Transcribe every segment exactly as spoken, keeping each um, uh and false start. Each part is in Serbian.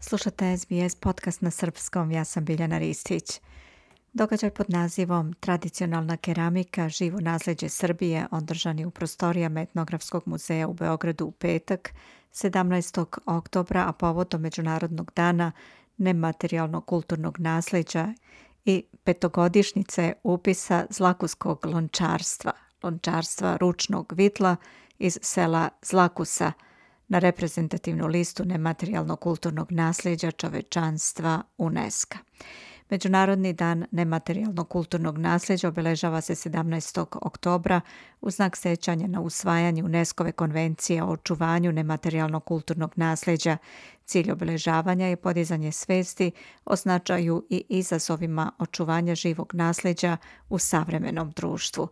Slušate S B S podcast na srpskom, ja sam Biljana Ristić. Događaj pod nazivom Tradicionalna keramika, živo nasleđe Srbije održan je u prostorijama Etnografskog muzeja u Beogradu u petak, sedamnaestog oktobra, a povodom Međunarodnog dana nematerijalnog kulturnog nasleđa i petogodišnjice upisa zlakuskog lončarstva, lončarstva ručnog vitla iz sela Zlakusa, na reprezentativnu listu nematerijalnog kulturnog nasleđa čovečanstva UNESCO. Međunarodni dan nematerijalnog kulturnog nasleđa obeležava se sedamnaestog oktobra u znak sećanja na usvajanje UNESCO-ve konvencije o očuvanju nematerijalnog kulturnog nasleđa. Cilj obeležavanja je podizanje svesti o značaju i izazovima očuvanja živog nasleđa u savremenom društvu.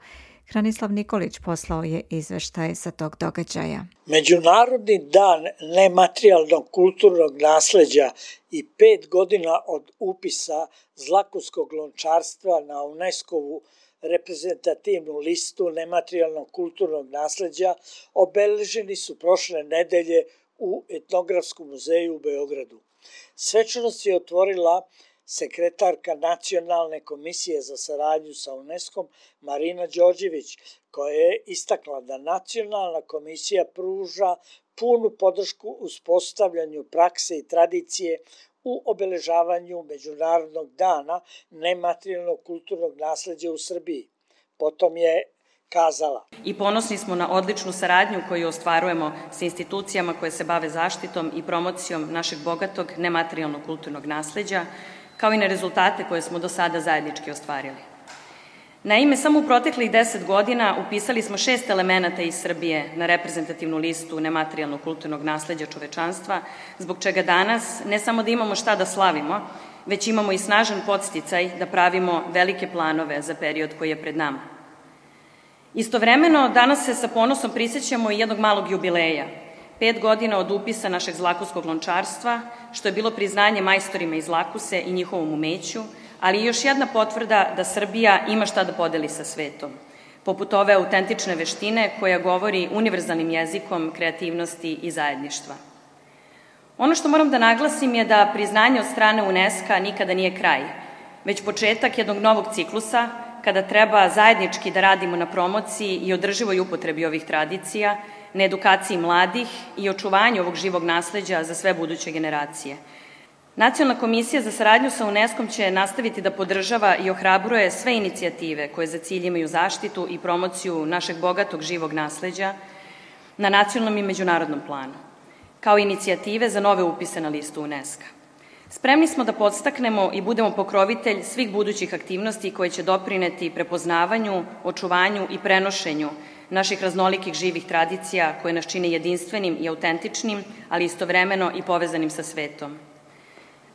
Hranislav Nikolić poslao je izveštaj sa tog događaja. Međunarodni dan nematerijalnog kulturnog nasleđa i pet godina od upisa zlakuskog lončarstva na UNESCO-vu reprezentativnu listu nematerijalnog kulturnog nasleđa obeleženi su prošle nedelje u Etnografskom muzeju u Beogradu. Svečanost je otvorila sekretarka Nacionalne komisije za saradnju sa UNESCO-om Marina Đorđević, koja je istakla da Nacionalna komisija pruža punu podršku uspostavljanju prakse i tradicije u obeležavanju Međunarodnog dana nematerijalnog kulturnog nasleđa u Srbiji. Potom je kazala: I ponosni smo na odličnu saradnju koju ostvarujemo sa institucijama koje se bave zaštitom i promocijom našeg bogatog nematerijalnog kulturnog nasleđa, kao i na rezultate koje smo do sada zajednički ostvarili. Naime, samo u proteklih deset godina upisali smo šest elemenata iz Srbije na reprezentativnu listu nematerijalnog kulturnog nasleđa čovečanstva, zbog čega danas ne samo da imamo šta da slavimo, već imamo i snažan podsticaj da pravimo velike planove za period koji je pred nama. Istovremeno, danas se sa ponosom prisjećamo i jednog malog jubileja, pet godina od upisa našeg zlakuskog lončarstva, što je bilo priznanje majstorima iz Zlakuse i njihovom umeću, ali i još jedna potvrda da Srbija ima šta da podeli sa svetom, poput ove autentične veštine koja govori univerzalnim jezikom kreativnosti i zajedništva. Ono što moram da naglasim je da priznanje od strane UNESCO-a nikada nije kraj, već početak jednog novog ciklusa kada treba zajednički da radimo na promociji i održivoj upotrebi ovih tradicija, na edukaciji mladih i očuvanju ovog živog nasleđa za sve buduće generacije. Nacionalna komisija za saradnju sa UNESCO-om će nastaviti da podržava i ohrabruje sve inicijative koje za cilj imaju zaštitu i promociju našeg bogatog živog nasleđa na nacionalnom i međunarodnom planu, kao i inicijative za nove upise na listu UNESCO-a. Spremni smo da podstaknemo i budemo pokrovitelj svih budućih aktivnosti koje će doprineti prepoznavanju, očuvanju i prenošenju naših raznolikih živih tradicija koje nas čine jedinstvenim i autentičnim, ali istovremeno i povezanim sa svetom.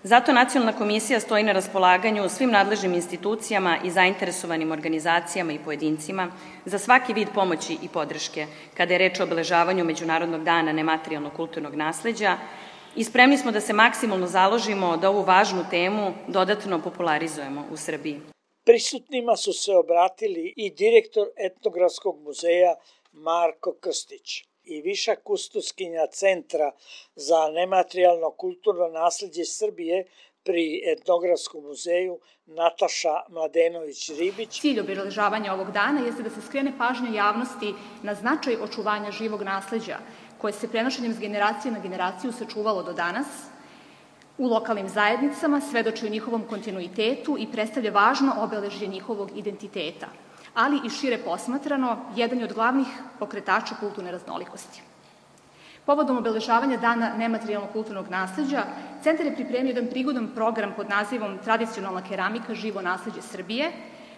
Zato Nacionalna komisija stoji na raspolaganju svim nadležnim institucijama i zainteresovanim organizacijama i pojedincima za svaki vid pomoći i podrške kada je reč o obeležavanju Međunarodnog dana nematerijalnog kulturnog nasleđa i spremni smo da se maksimalno založimo da ovu važnu temu dodatno popularizujemo u Srbiji. Prisutnima su se obratili i direktor Etnografskog muzeja Marko Krstić i viša kustoskinja Centra za nematerijalno kulturno nasleđe Srbije pri Etnografskom muzeju Nataša Mladenović-Ribić. Cilj obeležavanja ovog dana jeste da se skrene pažnja javnosti na značaj očuvanja živog nasleđa, koje se prenošenjem s generacije na generaciju sačuvalo do danas u lokalnim zajednicama, svedoči o njihovom kontinuitetu i predstavlja važno obeležje njihovog identiteta, ali i šire posmatrano, jedan je od glavnih pokretača kulturne raznolikosti. Povodom obeležavanja Dana nematerijalnog kulturnog nasleđa, Centar je pripremio jedan prigodan program pod nazivom Tradicionalna keramika, živo nasleđe Srbije,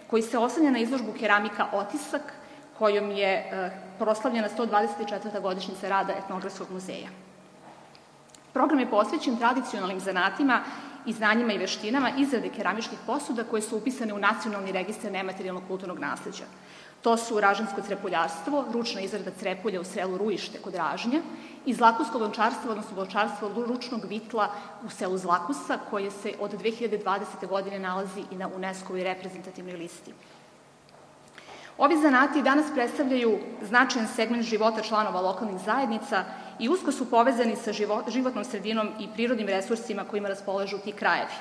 koji se oslanja na izložbu Keramika Otisak, kojom je proslavljena sto dvadeset četvrta godišnjica rada Etnografskog muzeja. Program je posvećen tradicionalnim zanatima i znanjima i veštinama izrade keramičkih posuda koje su upisane u Nacionalni registar nematerijalnog kulturnog nasleđa. To su ražansko crepuljarstvo, ručna izrada crepulja u selu Rujište kod Ražnja i zlakusko lončarstvo, odnosno lončarstvo ručnog vitla u selu Zlakusa, koje se od dve hiljade dvadesete. godine nalazi i na UNESCO-ovoj reprezentativnoj listi. Ovi zanati danas predstavljaju značajan segment života članova lokalnih zajednica i usko su povezani sa životnom sredinom i prirodnim resursima kojima raspolažu ti krajevi.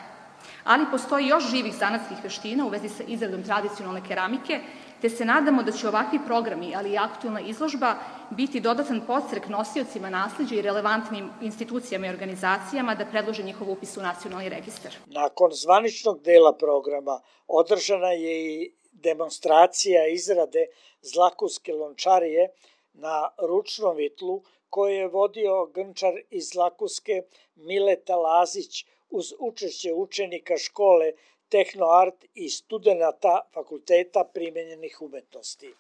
Ali postoji još živih zanatskih veština u vezi sa izradom tradicionalne keramike, te se nadamo da će ovakvi programi, ali i aktuelna izložba, biti dodatan podstrek nosiocima nasleđa i relevantnim institucijama i organizacijama da predlože njihov upis u nacionalni registar. Nakon zvaničnog dela programa održana je i demonstracija izrade Zlakuske lončarije na ručnom vitlu koje je vodio grnčar iz Zlakuske Mileta Lazić uz učešće učenika škole Tehnoart i studenata Fakulteta primenjenih umetnosti.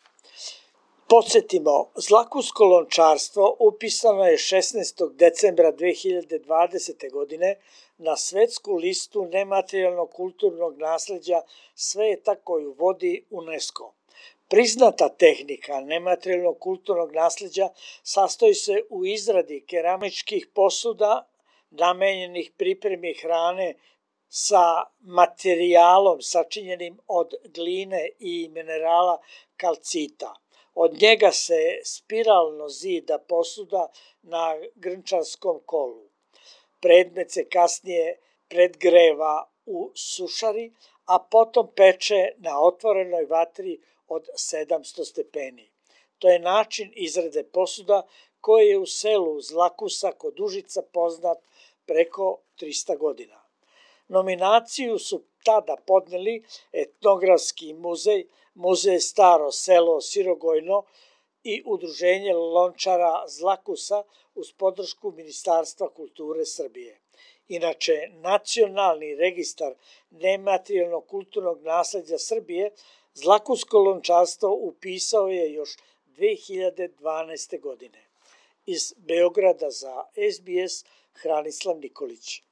Podsjetimo, Zlakusko lončarstvo upisano je šesnaestog decembra dve hiljade dvadesete. godine na svetsku listu nematerijalnog kulturnog nasleđa sveta koju vodi UNESCO. Priznata tehnika nematerijalnog kulturnog nasleđa sastoji se u izradi keramičkih posuda namenjenih pripremi hrane sa materijalom sačinjenim od gline i minerala kalcita. Od njega se spiralno zida posuda na grnčarskom kolu. Predmet se kasnije predgreva u sušari, a potom peče na otvorenoj vatri od sedamsto stepeni. To je način izrade posuda koji je u selu Zlakusa kod Užica poznat preko trista godina. Nominaciju su tada podneli Etnografski muzej, Muzej Staro selo Sirogojno i Udruženje lončara Zlakusa uz podršku Ministarstva kulture Srbije. Inače, Nacionalni registar nematerijalnog kulturnog nasleđa Srbije Zlakusko lončarstvo upisao je još dve hiljade dvanaeste. godine. Iz Beograda za S B S Hranislav Nikolić.